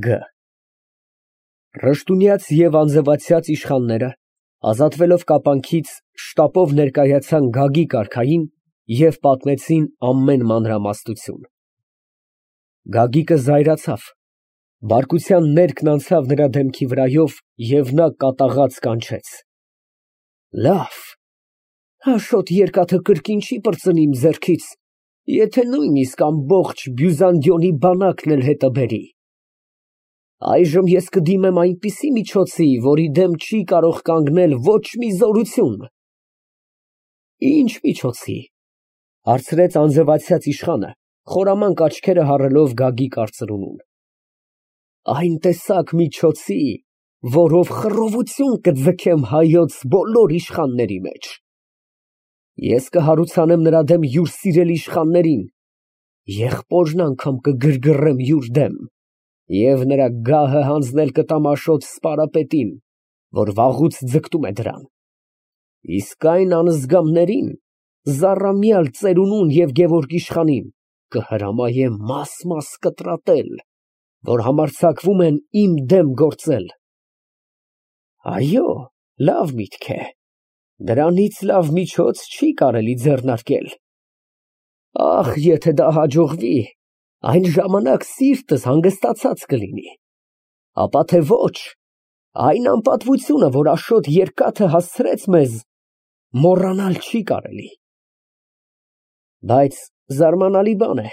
Գ. Ռշտունյաց և անձվացյաց իշխանները, ազատվելով կապանքից, շտապով ներկայացան Գագիկ արքային և պատմեցին ամեն մանրամասնություն։ Գագիկը զայրացավ, բարկության ներքն անցավ նրա դեմքի վրայով և նա կատաղած կանչեց. Լավ, Աշոտ երկաթը կրկին չի պրծնի իմ ձեռքից, եթե նույնիսկ ամբողջ Բյուզանդիոնի բանակն էլ հետը բերի։ Այժմ ես կդիմեմ այնպիսի միջոցի, որի դեմ չի կարող կանգնել ոչ մի զորություն։ Ինչ միջոցի, հարցրեց անձվացյաց իշխանը, խորամանկ աչքերը հառելով Գագիկ արծրունուն։ Այն տեսակ միջոցի, որով խռովություն կձգեմ հայոց բոլոր իշխանների մեջ։ Ես կհարուցանեմ նրա դեմ յուր սիրելի իշխաններին, եղբորն անգամ կգրգռեմ յուր դեմ և նրա գահը հանձնել կտամ Աշոտ սպարապետին, որ վաղուց ձգտում է դրան։ Իսկ այն անզգամներին, զառամյալ Ծերունուն և Գևորգ իշխանին կհրամայեմ մաս կտրատել, որ համարձակվում են իմ դեմ գործել։ Այո, լավ միտք է, դրանից լավ միջոց չի կարելի ձեռնարկել։ Ախ, եթե դա հաջողվի, այն ժամանակ սիրտս հանգստացած կլինի, ապա թե ոչ, այն անպատվությունը, որ Աշոտ երկաթը հասցրեց մեզ, մոռանալ չի կարելի։ Բայց զարմանալի բան է,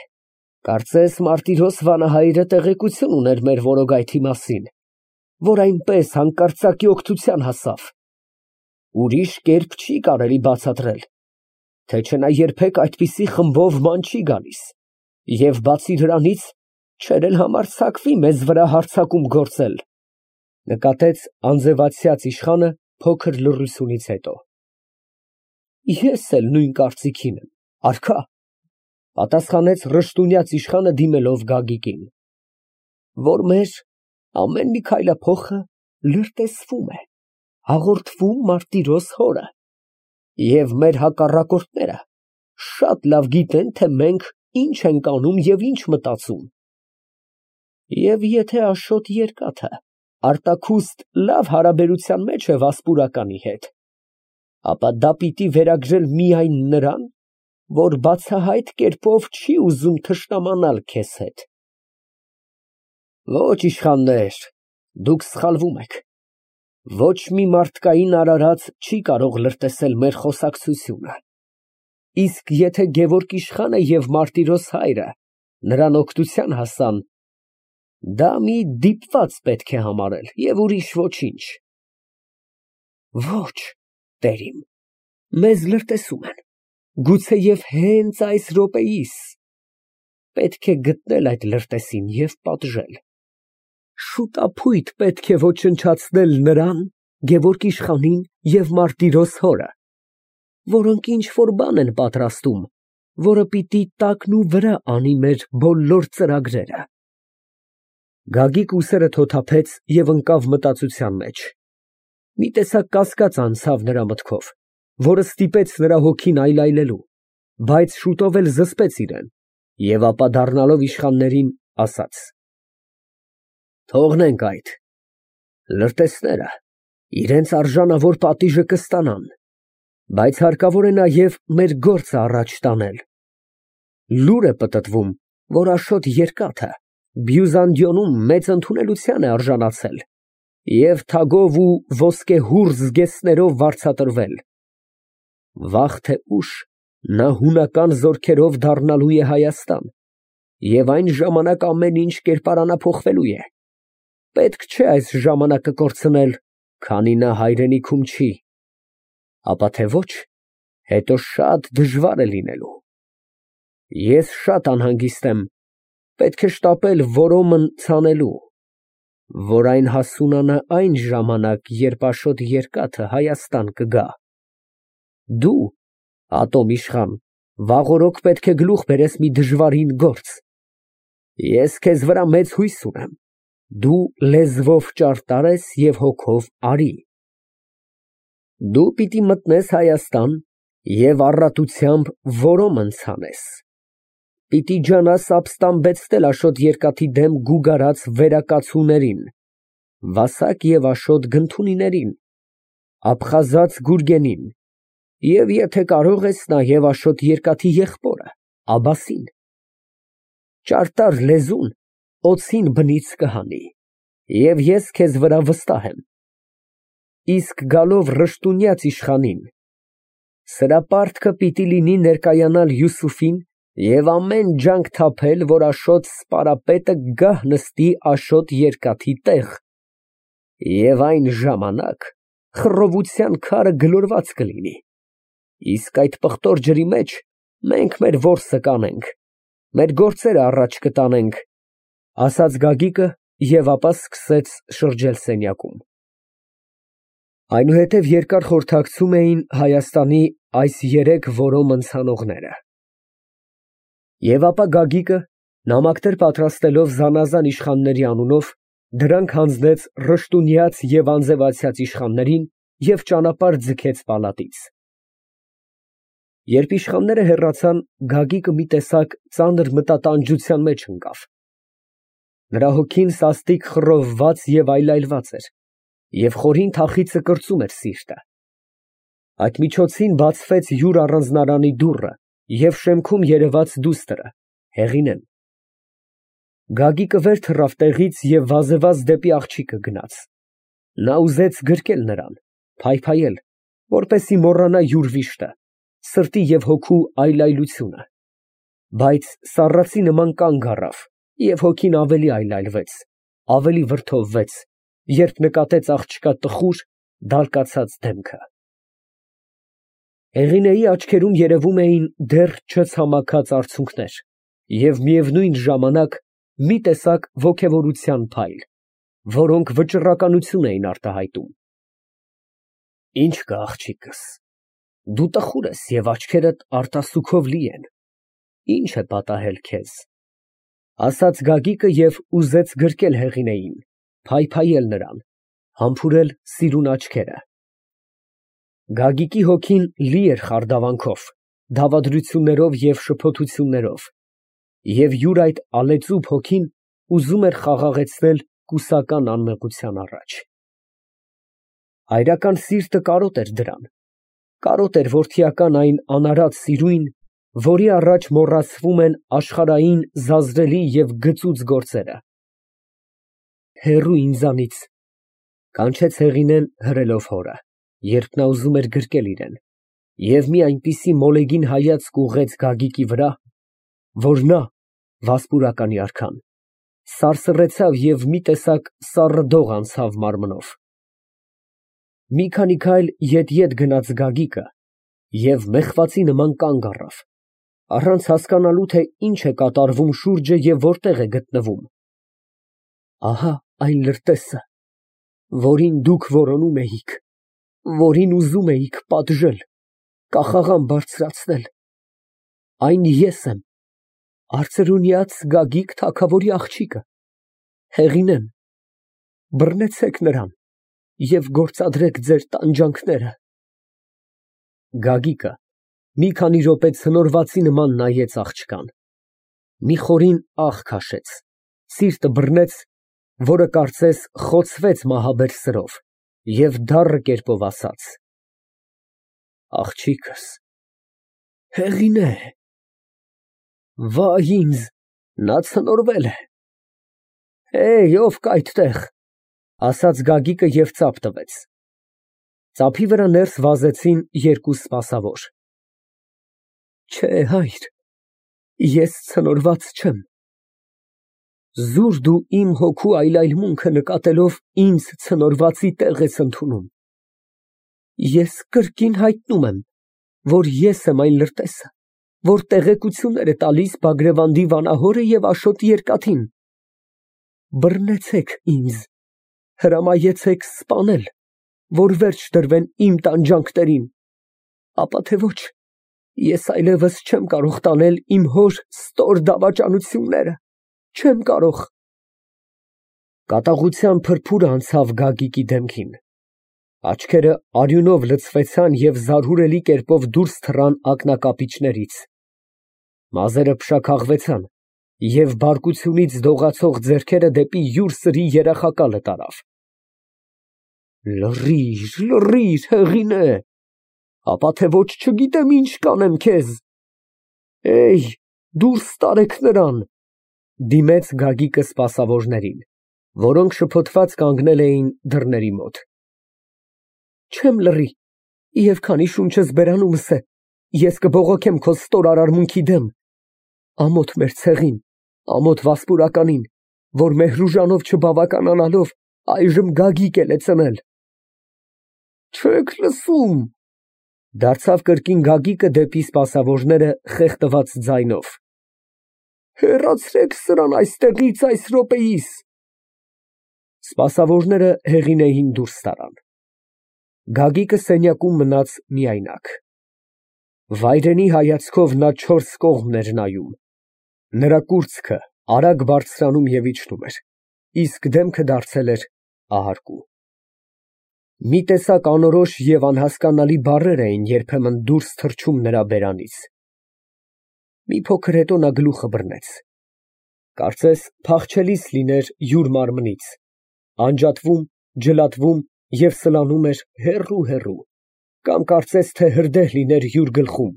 կարծես Մարտիրոս վանահայրը տեղեկություն ուներ մեր որոգայթի մասին, որ այնպես հանկարծակի օգնության հասավ։ Ուրիշ կերպ չի կարելի բացատրել, թե չէ նա երբեք այդպիսի խմբով ման չի գալիս, և բացի դրանից չէր էլ համարձակվի մեզ վրա հարձակում գործել, նկատեց անձվացյաց իշխանը փոքր լռությունից հետո։ Ես էլ նույն կարծիքին եմ, արքա, պատասխանեց ռշտունյաց իշխանը դիմելով Գագիկին, որ մեր ամեն մի քայլափոխը լրտեսվում է, հաղորդվում Մարտիրոս հորը, և մեր հակառակորդները շատ լավ գիտեն, թե մենք ինչ ենք անում և ինչ մտածում։ Եվ եթե Աշոտ երկաթը արտաքուստ լավ հարաբերության մեջ է Վասպուրականի հետ, ապա դա պիտի վերագրել միայն նրան, որ բացահայտ կերպով չի ուզում թշնամանալ քեզ հետ։ Ոչ, իշխաններ, դուք սխալվում եք, ոչ մի մարդկային արարած չի կարող լրտեսել մեր խոսակցությունը, իսկ եթե Գևորգ իշխանը և Մարտիրոս հայրը նրան օգնության հասան, դա մի դիպված պետք է համարել և ուրիշ ոչինչ։ Ոչ, տերիմ, մեզ լրտեսում են, գուցեև հենց այս րոպեիս, պետք է գտնել այդ լրտեսին և պատժել։ Շուտափույթ պետք է ոչնչացնել նրան, Գևորգ իշխանին և Մարտիրոս հորը, որոնք ինչ֊որ բան են պատրաստում, որը պիտի տակնուվրա անի մեր բոլոր ծրագրերը։ Գագիկ ուսերը թոթափեց և ընկավ մտածության մեջ։ Մի տեսակ կասկած անցավ նրա մտքով, որը ստիպեց նրա հոգին այլայլելու, բայց շուտով էլ զսպեց իրեն և ապա դառնալով իշխաններին, ասաց. Թողնենք այդ, լրտեսները իրենց արժանավոր պատիժը կստանան, բայց հարկավոր է նաև մեր գործը առաջ տանել։ Լուր է պտտվում, որ Աշոտ երկաթը Բյուզանդիոնում մեծ ընդունելության է արժանացել և թագով ու ոսկեհուռ զգեստներով վարձատրվել։ Վաղ թե ուշ նա հունական զորքերով դառնալու է Հայաստան, և այն ժամանակ ամեն ինչ կերպարանափոխվելու է։ Պետք չէ այս ժամանակը կորցնել, քանի նա հայրենիքում չի, ապա թե ոչ, հետո շատ դժվար է լինելու։ Ես շատ անհանգիստ եմ, պետք է շտապել որոմն ցանելու, որ այն հասունանա այն ժամանակ, երբ Աշոտ երկաթը Հայաստան կգա։ Դու, Ատոմ իշխան, վաղօրոք պետք է գլուխ բերես մի դժվարին գործ։ Ես քեզ վրա մեծ հույս ունեմ, դու լեզվով ճարտար ես և հոգով արի։ Դու պիտի մտնես Հայաստան և առատությամբ որոմ ցանես։ Պիտի ջանաս ապստամբեցնել Աշոտ Երկաթի դեմ գուգարած վերակացուներին, Վասակ և Աշոտ Գնթունիներին, Աբխազած Գուրգենին և եթե կարող ես նաև Աշոտ Երկաթի եղբորը Աբասին։ Ճարտար լեզուն օձին բնից կհանի, և ես քեզ վրա վստահ եմ։ Իսկ գալով Ռշտունյաց իշխանին, սրա պարտքը պիտի լինի ներկայանալ Յուսուֆին և ամեն ջանք թափել, որ Աշոտ սպարապետը գահ նստի Աշոտ Երկաթի տեղ, և այն ժամանակ խռովության քարը գլորված կլինի, իսկ այդ պղտոր ջրի մեջ մենք մեր որսը կանենք, մեր գործերը առաջ կտանենք, ասաց Գագիկը և ապա սկսեց շրջել սենյակում։ Այնուհետև երկար խորհրդակցում էին Հայաստանի այս երեք որոմ ընցանողները։ Եվ ապա Գագիկը, նամակներ պատրաստելով զանազան իշխանների անունով, դրանք հանձնեց Ռշտունյաց և անձևացյաց իշխաններին և ճանապարհ ձգեց պալատից։ Երբ իշխանները հեռացան, Գագիկը մի տեսակ ծանր մտատանջության մեջ ընկավ։ Նրա հոգին սաստիկ խռովված և այլայլված էր, և խորին թախիծը կրծում էր սիրտը։ Այդ միջոցին բացվեց յուր առանձնարանի դուռը, և շեմքում երևաց դուստրը՝ Հեղինեն։ Գագիկը վեր թռավ տեղից և վազեվազ դեպի աղջիկը գնաց։ Նա ուզեց գրկել նրան, փայփայել, որպեսզի մոռանա յուր վիշտը, սրտի և հոգու այլայլությունը, բայց սառածի նման կանգ առավ, և հոգին ավելի այլայլվեց, ավելի վրդովվեց, երբ նկատեց աղջկա տխուր, դալկացած դեմքը։ Հեղինեի աչքերում երևում էին դեռ չցամաքած արցունքներ և միևնույն ժամանակ մի տեսակ ոգևորության փայլ, որոնք վճռականություն էին արտահայտում։ Ի՞նչ կա, աղջիկս, դու տխուր ես և աչքերդ արտասուքով լի են, ի՞նչ է պատահել քեզ, ֊ ասաց Գագիկը և ուզեց գրկել Հեղինեին, փայփայել նրան, համբուրել սիրուն աչքերը։ Գագիկի հոգին լի էր խարդավանքով, դավադրություններով և շփոթություններով, և յուր այդ ալեծուփ հոգին ուզում էր խաղաղեցնել կուսական անմեղության առաջ։ Հայրական սիրտը կարոտ էր դրան, կարոտ էր որդիական այն անարատ սիրույն, որի առաջ մոռացվում են աշխարհային զազրելի և գծուծ գործերը։ Հեռու ինձանից, ֊ կանչեց Հեղինեն հրելով հորը, երբ նա ուզում էր գրկել իրեն, և մի այնպիսի մոլեգին հայացք ուղղեց Գագիկի վրա, որ նա, վասպուրականի արքան, սարսռեցավ և մի տեսակ սառը դող անցավ մարմնով։ Մի քանի քայլ ետ գնաց Գագիկը և մեղվածի նման կանգ առավ, առանց հասկանալու, թե ինչ է կատարվում շուրջը և որտեղ է գտնվում։ Ահա այն լրտեսը, որին դուք որոնում էիք, որին ուզում էիք պատժել, կախաղան բարձրացնել, այն ես եմ, արծրունյաց Գագիկ թագավորի աղջիկը, Հեղինեն, բռնեցեք նրան և գործադրեք ձեր տանջանքները։ Գագիկը մի քանի րոպե ցնորվածի նման նայեց աղջկան, մի խորին ահ քաշեց, սիրտը բռնեց, որը կարծես խոցվեց մահաբեր սրով, և դառն կերպով ասաց. Աղջիկս, Հեղինե… Վայ ինձ, նա ցնորվել է։ Ով կա այդտեղ, ֊ ասաց Գագիկը և ծափ տվեց։ Ծափի վրա ներս վազեցին երկու սպասավոր։ Չէ, հայր, ես ցնորված չեմ։ Զուր դու իմ հոգու այլայլմունքը նկատելով ինձ ցնորվածի տեղ ես ընդունում։ Ես կրկին հայտնում եմ, որ ես եմ այն լրտեսը, որ տեղեկություններ է տալիս Բագրևանդի վանահորը և Աշոտ Երկաթին։ Բռնեցեք ինձ, հրամայեցեք սպանել, որ վերջ դրվեն իմ տանջանքներին, ապա թե ոչ, ես այլևս չեմ կարող տանել իմ հոր ստոր դավաճանությունները, չեմ կարող։ Կատաղության փրփուրը անցավ Գագիկի դեմքին, աչքերը արյունով լցվեցան և զարհուրելի կերպով դուրս թռան ակնակապիճներից։ Մազերը փշաքաղվեցան և բարկությունից դողացող ձեռքերը դեպի յուր սրի երախակալը տարավ։ Լռիր, լռիր, Հեղինե, ապա թե ոչ չգիտեմ ինչ կանեմ քեզ։ Էյ, դուրս տարեք նրան, դիմեց Գագիկը սպասավորներին, որոնք շփոթված կանգնել էին դռների մոտ։ Չեմ լռի, և քանի շունչս բերանումս է, ես կբողոքեմ քո ստոր արարմունքի դեմ, ամոթ մեր ցեղին, ամոթ Վասպուրականին, որ Մեհրուժանով չբավականանալով այժմ Գագիկ էլ է ծնել։ Չեք լսում, դարձավ կրկին Գագիկը դեպի սպասավորները խեղդված ձայնով։ Հեռացրեք սրան այստեղից այս րոպեիս։ Սպասավորները Հեղինեին դուրս տարան։ Գագիկը սենյակում մնաց միայնակ։ Վայրենի հայացքով նա չորս կողմն էր նայում։ Նրա կուրծքը արագ բարձրանում և իջնում էր, իսկ դեմքը դարձել էր ահարկու։ Մի տեսակ անորոշ և անհասկանալի բառեր էին երբեմն դուրս թռչում նրա բերանից։ Մի փոքր հետո նա գլուխը բռնեց։ Կարծես փախչելիս լիներ յուր մարմնից, անջատվում, ջլատվում և սլանում էր հեռու, կամ կարծես թե հրդեհ լիներ յուր գլխում,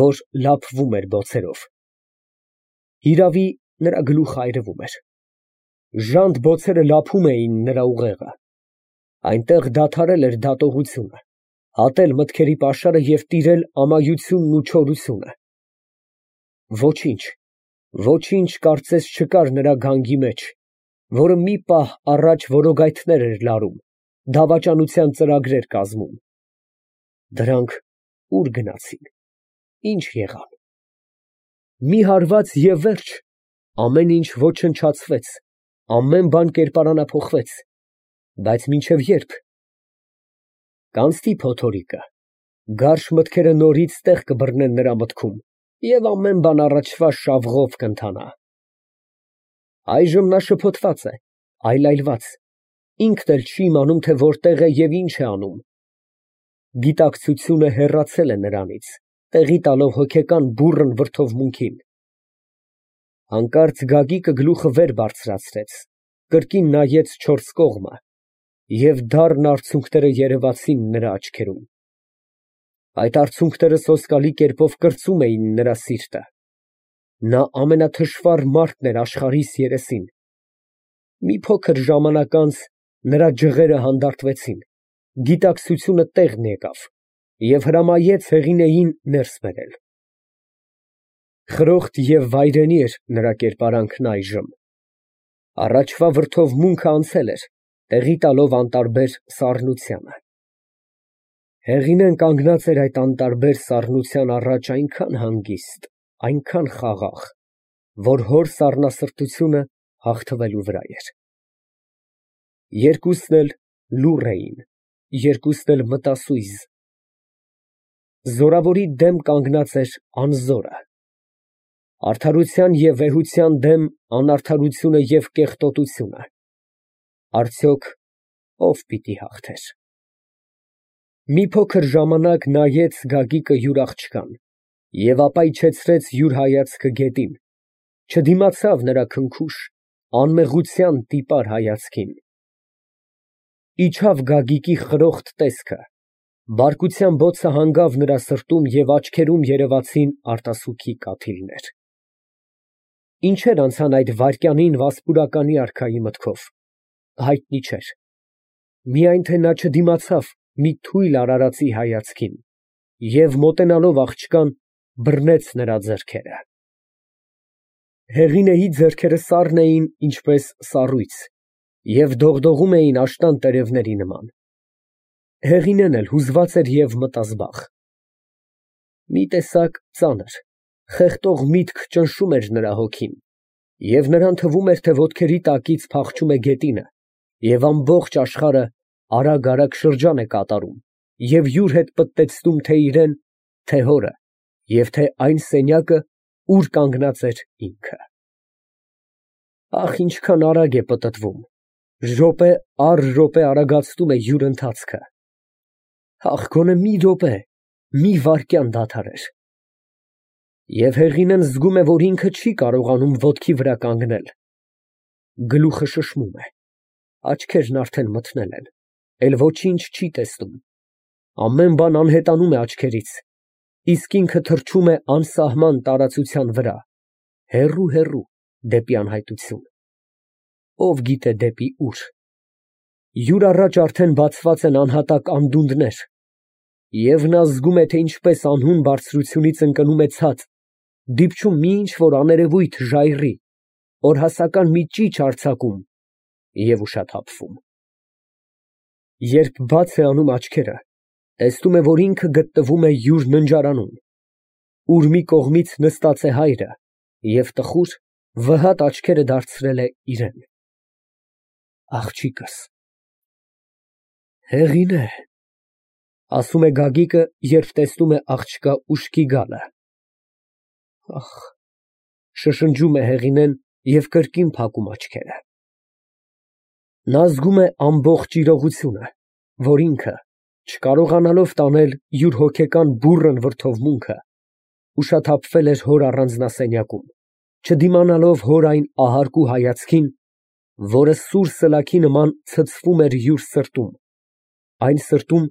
որ լափվում էր բոցերով։ Հիրավի, նրա գլուխը այրվում էր։ Ժանտ բոցերը լափում էին նրա ուղեղը։ Այնտեղ դադարել էր դատողությունը, հատել մտքերի պաշարը և տիրել ամայությունն ու չորությունը։ Ոչինչ կարծես չկար նրա գանգի մեջ, որը մի պահ առաջ որոգայթներ էր լարում, դավաճանության ծրագրեր կազմում։ Դրանք ուր գնացին, ինչ եղան։ Մի հարված և վերջ, ամեն ինչ ոչնչացվեց, ամեն բան կերպարանափոխվեց, բայց մինչև ե՞րբ։ Կանցնի փոթորիկը, գարշ մտքերը նորից տեղ կբռնեն նրա մտքում, և ամեն բան առաջվա շավղով կընթանա։ Այժմ նա շփոթված է, այլայլված, ինքն էլ չի իմանում, թե որտեղ է և ինչ է անում։ Գիտակցությունը հեռացել է նրանից, տեղի տալով հոգեկան բուռն վրդովմունքին։ Հանկարծ Գագիկը գլուխը վեր բարձրացրեց, կրկին նայեց չորս կողմը, և դառն արցունքները երևացին նրա աչքերում։ Այդ արցունքները սոսկալի կերպով կրծում էին նրա սիրտը։ Նա ամենաթշվառ մարդն էր աշխարհիս երեսին։ Մի փոքր ժամանակ անց նրա ջղերը հանդարտվեցին, գիտակցությունը տեղն եկավ և հրամայեց Հեղինեին ներս բերել։ Խրոխտ և վայրենի էր նրա կերպարանքն այժմ։ Առաջվա վրդովմունքը անցել էր, տեղի տալով անտարբեր սառնությանը։ Հեղինեն կանգնած էր այդ անտարբեր սառնության առաջ այնքան հանգիստ, այնքան խաղաղ, որ հոր սառնասրտությունը հաղթվելու վրա էր։ Երկուսն էլ լուռ էին, երկուսն էլ մտասույզ։ Զորավորի դեմ կանգնած էր անզորը։ Արդարության և վեհության դեմ անարդարությունը և կեղտոտությունը։ Արդյոք ո՞վ պիտի հաղթեր։ Մի փոքր ժամանակ նայեց Գագիկը յուր աղջկան և ապա իջեցրեց յուր հայացքը գետին, չդիմացավ նրա քնքուշ, անմեղության տիպար հայացքին։ Իջավ Գագիկի խրոխտ տեսքը, բարկության բոցը հանգավ նրա սրտում և աչքերում երևացին արտասուքի կաթիլներ։ Ինչեր անցան այդ վայրկյանին Վասպուրականի արքայի մտքով, հայտնի չէր, միայն թե նա չդիմացավ մի թույլ արարածի հայացքին և մոտենալով աղջկան բռնեց նրա ձեռքերը։ Հեղինեի ձեռքերը սառն էին ինչպես սառույց և դողդողում էին աշնան տերևների նման։ Հեղինեն էլ հուզված էր և մտազբաղ։ Մի տեսակ ծանր, խեղդող միտք ճնշում էր նրա հոգին, և նրան թվում էր, թե ոտքերի տակից փախչում է գետինը, և ամբողջ աշխարհը արագ շրջան է կատարում և յուր հետ պտտեցնում թե իրան, թե հորը, և թե այն սենյակը, ուր կանգնած էր ինքը։ Ահ, ինչքան արագ է պտտվում, րոպե առ րոպե արագացնում է յուր ընթացքը։ Ահ, գոնե մի րոպե, մի վայրկյան դադարեր։ Եվ Հեղինեն զգում է, որ ինքը չի կարողանում ոտքի վրա կանգնել։ Գլուխը շշմում է, աչքերն արդեն մթնել են, էլ ոչինչ չի տեսնում, ամեն բան անհետանում է աչքերից, իսկ ինքը թռչում է անսահման տարածության վրա, հեռու դեպի անհայտություն, ով գիտե դեպի ուր։ Յուր առաջ արդեն բացված են անհատակ անդունդներ, և նա զգում է, թե ինչպես անհուն բարձրությունից ընկնում է ցած, դիպչում մի ինչ֊որ աներևույթ ժայռի, օրհասական մի ճիչ արձակում և ուշաթափվում։ Երբ բաց է անում աչքերը, տեսնում է, որ ինքը գտնվում է յուր ննջարանում, ուր մի կողմից նստած է հայրը և տխուր, վհատ աչքերը դարձրել է իրան։ Աղջիկս… Հեղինե… ֊ ասում է Գագիկը, երբ տեսնում է աղջկա ուշքի գալը։ Ահ… ֊ շշնջում է Հեղինեն և կրկին փակում աչքերը։ Նա զգում է ամբողջ իրողությունը, որ ինքը, չկարողանալով տանել յուր հոգեկան բուռն վրդովմունքը, ուշաթափվել էր հոր առանձնասենյակում, չդիմանալով հոր այն ահարկու հայացքին, որը սուր սլաքի նման ցցվում էր յուր սրտում, այն սրտում,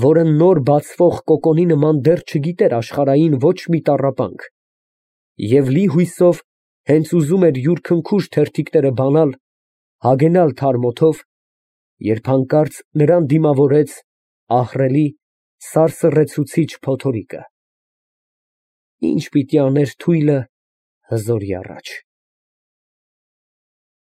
որը նոր բացվող կոկոնի նման դեռ չգիտեր աշխարհային ոչ մի տառապանք, և լի հույսով հենց ուզում էր յուր քնքուշ թերթիկները բանալ, հագենալ թարմ օդով, երբ հանկարծ նրան դիմավորեց ահռելի, սարսռեցուցիչ փոթորիկը… Ի՞նչ պիտի աներ թույլը հզորի առաջ։